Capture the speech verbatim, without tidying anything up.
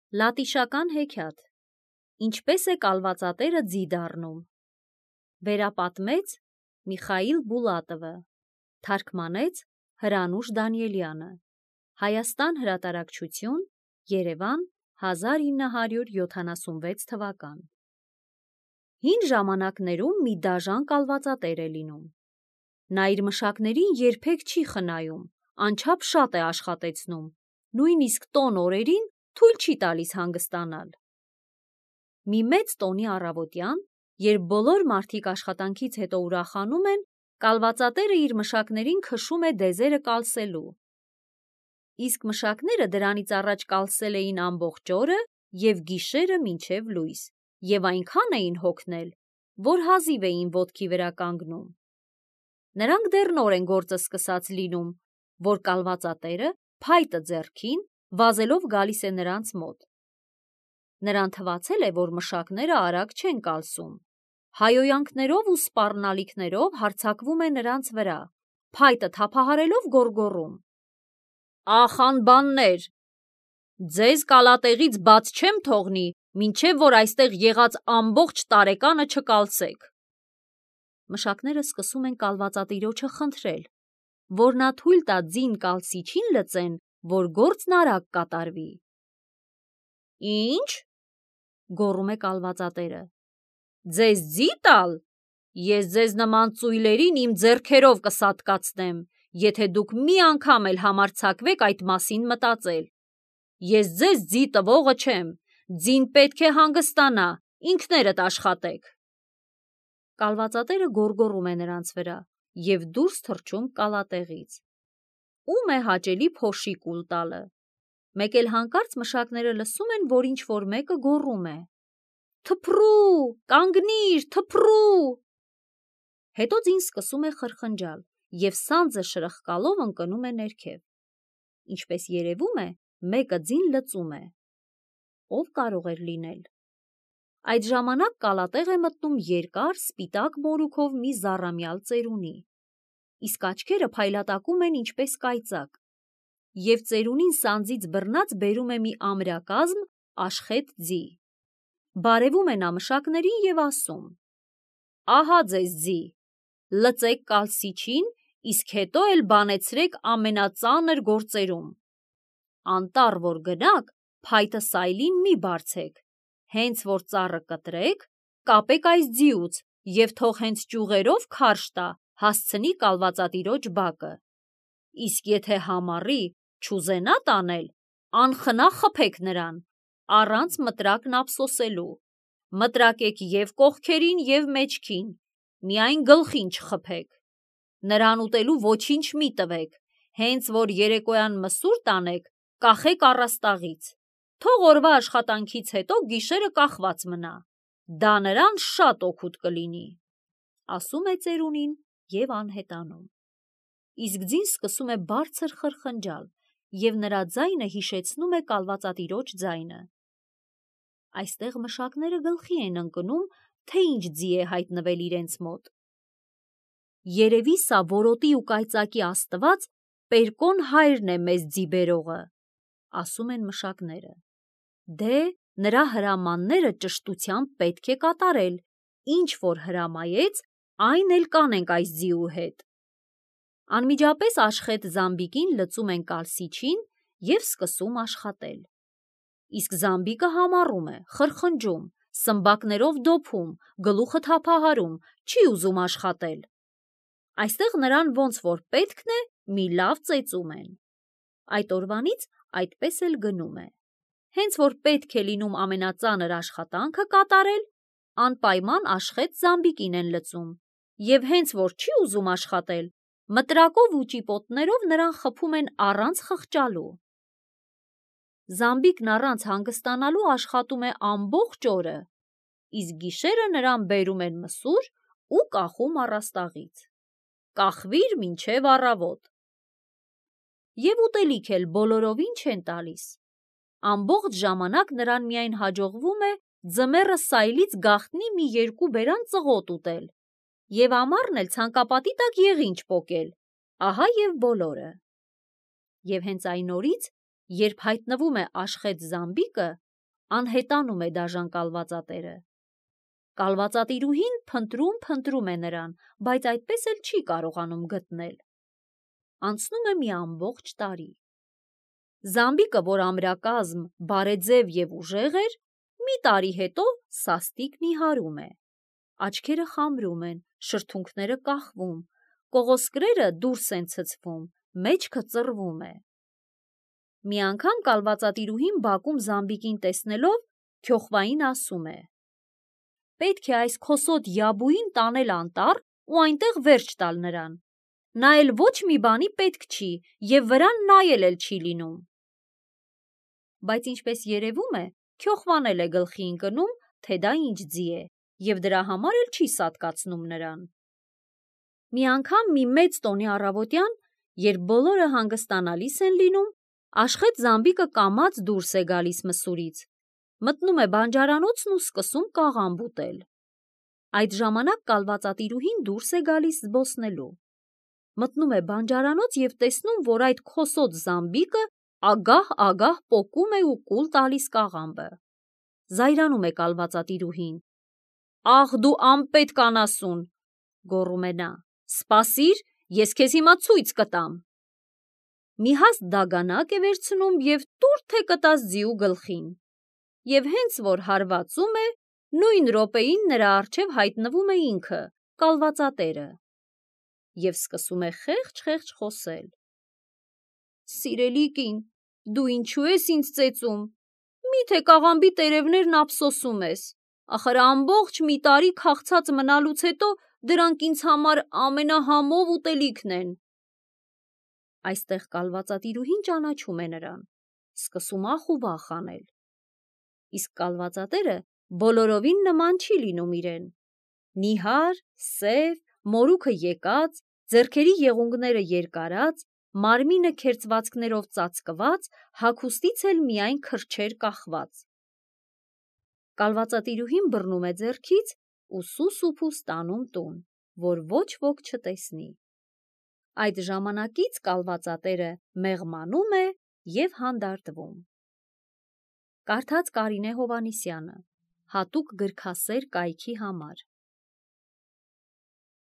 Լատիշական հեքիաթ։ Ինչպես է կալվածատերը ձի դառնում։ Վերապատմեց Միխայիլ Բուլատովը, թարգմանեց Հրանուշ Դանիելյանը։ Հայաստան հրատարակչություն, Երևան, հազար ինը հարյուր յոթանասունվեց թվական։ Հին ժամանակներում մի դաժան կալվածատեր է լինում։ Նա իր մշակներին երբեք չի խնայում, անչափ շատ է աշխատեցնում, նույնիսկ տոն օրերին թույլ չի տալիս հանգստանալ։ Մի մեծ տոնի առավոտյան, երբ բոլոր մարդիկ աշխատանքից հետո ուրախանում են, կալվածատերը իր մշակներին քշում է դեզերը կալսելու։ Իսկ մշակները դրանից առաջ կալսել էին ամբողջ օրը և գիշերը մինչև լույս, և այնքան էին հոգնել, որ հազիվ էին ոտքի վրա կանգնում։ Նրանք դեռ նոր են գործը սկսած լինում, որ կալվածատերը, փայտը ձեռքին, վազելով գալիս է նրանց մոտ։ Նրան թվացել է, որ մշակները արագ չեն կալսում։ Հայոյանքներով ու սպառնալիքներով հարձակվում է նրանց վրա, փայտը թափահարելով գոռգոռում. «Ախ անբաններ, ձեզ կալատեղից բաց չեմ թողնի, մինչև որ այստեղ եղած ամբողջ տարեկանը չկալսեք»։ Մշակները սկսում են կալվածատիրոջը խնդրել, որ նա թույլ տա ձին կալսիչին լծեն, որ գործն արագ կատարվի։ «Ի՞նչ», գոռում է կալվածատերը, «ձեզ ձի տալ։ Ես ձեզ նման ծույլերին իմ ձեռքերով կսատկացնեմ, եթե դուք մի անգամ էլ համարձակվեք այդ մասին մտածել։ Ես ձեզ ձի տվողը չեմ, ձին պետք է հանգստանա, ինքներդ աշխատեք»։ Կալվածատերը գոռգոռում է նրանց վրա և դուրս թռչում կալատեղից։ Ո՞ւմ է հաճելի փոշի կուլ տալը։ Մեկ էլ հանկարծ մշակները լսում են, որ ինչ-որ մեկը գոռում է. «Թփռու, կանգնիր, թփռու»։ Հետո ձին սկսում է խրխնջալ և սանձը շրխկալով ընկնում է ներքև։ Ինչպես երևում է, մեկը ձին լծում է։ Ո՞վ կարող էր լինել։ Այդ ժամանակ կալատեղ է մտնում երկար, սպիտակ մորուքով մի զառամյալ ծերունի, իսկ աչքերը փայլատակում են ինչպես կայծակ, և ծերունին սանձից բռնած բերում է մի ամրակազմ աշխետ ձի։ Բարևում է նա մշակներին և ասում. «Ահա ձեզ ձի, լծեք կալսիչին, իսկ հետո էլ բանեցրեք ամենածանր գործերում։ Անտառ որ գնաք, փայտը սայլին մի բարձեք, հենց որ ծառը կտրեք, կապեք այս ձիուց և թող հենց ճյուղերով քարշ տա, հասցնի կալվածատիրոջ բակը։ Իսկ եթե համառի, չուզենա տանել, անխնա խփեք նրան, առանց մտրակն ափսոսելու, մտրակեք և կողքերին և մեջքին, միայն գլխին չխփեք։ Նրան ուտելու ոչինչ մի տվեք, հենց որ երեկոյան մսուր տանեք, կախեք առաստաղից, թող օրվա աշխատանքից հետո գիշերը կախված մնա, դա նրան շատ օգուտ կլինի», ասում է ծերունին և անհետանում։ Իսկ ձին սկսում է բարձր խրխնջալ, և նրա ձայնը հիշեցնում է կալվածատիրոջ ձայնը։ Այստեղ մշակները գլխի են ընկնում, թե ինչ ձի է հայտնվել իրենց մոտ։ «Երևի սա որոտի ու կայծակի աստված Պերկոն հայրն է մեզ ձի բերողը», ասում են մշակները։ Դե, նրա հրամանները ճշտությամբ պետք է կատարել, ինչ որ հրամայեց, այն էլ կանենք այս ձիու հետ։ Անմիջապես աշխետ Զամբիկին լծում են կալսիչին և սկսում աշխատել։ Իսկ Զամբիկը համառում է, խրխնջում, սմբակներով դոփում, գլուխը թափահարում, չի ուզում աշխատել։ Այստեղ նրան ոնց որ պետքն է, մի լավ ծեծում են։ Այդ օրվանից այդպես էլ գնում է։ Հենց որ պետք է լինում ամենածանր աշխատանքը կատարել, անպայման աշխետ Զամբիկին են լծում, և հենց որ չի ուզում աշխատել, մտրակով ու ճիպոտներով նրան խփում են առանց խղճալու։ Զամբիկն առանց հանգստանալու աշխատում է ամբողջ օրը, իսկ գիշերը նրան բերում են մսուր ու կախում առաստաղից։ Կախվիր մինչև առավոտ։ Եվ ուտելիք էլ բոլորովին չեն տալիս։ Ամբողջ ժամանակ նրան միայն հաջողվում է ձմեռը սայլից գաղտնի մի երկու բերան ծղոտ ուտել և ամառն էլ ցանկապատի տակ եղինջ պոկել, ահա և բոլորը։ Եվ հենց այն օրից, երբ հայտնվում է աշխետ Զամբիկը, Անհետանում է դաժան կալվածատերը։ Կալվածատիրուհին փնտրում-փնտրում է նրան, բայց այդպես էլ չի կարողանում գտնել։ Անցնում է մի ամբողջ տարի։ Զամբիկը, որ ամրակազմ, բարեձև և ուժեղ էր, մի տարի հետո սաստիկ նիհարում է։ Աչքերը խամրում են, շրթունքները կախվում, կողոսկրերը դուրս են ցցվում, մեջքը ծռվում է։ Մի անգամ կալվածատիրուհին բակում Զամբիկին տեսնելով քյոխվային ասում է. «Պետք է այս քոսոտ յաբուին տանել անտառ ու այնտեղ վերջ տալ նրան։ Նա էլ ոչ մի բանի պետք չի և վրան նայել էլ չի լինում»։ Բայց ինչպես երևում է, քյոխվան էլ է գլխի ընկնում, թե դա ինչ ձի է, և դրա համար էլ չի սատկացնում նրան։ Մի անգամ մի մեծ տոնի առավոտյան, երբ բոլորը հանգստանալիս են լինում, Աշխետ Զամբիկը կամաց դուրս է գալիս մսուրից, մտնում է բանջարանոցն ու սկսում կաղամբ ուտել։ Այդ ժամանակ կալվածատիրուհին դուրս է գալիս զբոսնելու։ Մտնում է բանջարանոց և տեսնում, որ այդ քոսոտ Զամբիկը ագահ-ագահ պոկում է ու կուլ տալիս կաղամբը։ Զայրանում է կալվածատիրուհին։ «Ախ դու անպետք անասուն», գոռում է նա, «սպասիր, ես քեզ հիմա ցույց կտամ»։ Մի հաստ դագանակ է վերցնում և տուր թե կտած ձիու գլխին։ Եվ հենց որ հարվածում է, նույն րոպեին նրա առջև հայտնվում է ինքը՝ կալվածատերը, և սկսում է խեղճ-խեղճ խոսել. «Սիրելի կին, դու ինչու ես ինձ ծեծում, մի՞թե կաղամբի տերևներն ափսոսում ես, ախր ամբողջ մի տարի քաղցած մնալուց հետո դրանք ինձ համար ամենահամով ուտելիքն են»։ Այստեղ կալվածատիրուհին ճանաչում է նրան, սկսում ախ ու վախ անել։ Իսկ կալվածատերը բոլորովին նման չի լինում իրեն։ Նիհար, սև, մորուքը եկած, ձեռքերի եղունգները երկարած, մարմինը քերծվածքներով ծածկված, հագուստից էլ միայն քրջեր կախված։ Կալվածատիրուհին բռնում է ձեռքից ու սուս-ու-փուս տանում տուն, որ ոչ ոք չտեսնի։ Այդ ժամանակից կալվածատերը մեղմանում է և հանդարտվում։ Կարդաց Կարինե Հովհաննիսյանը, հատուկ գրքասեր կայքի համար։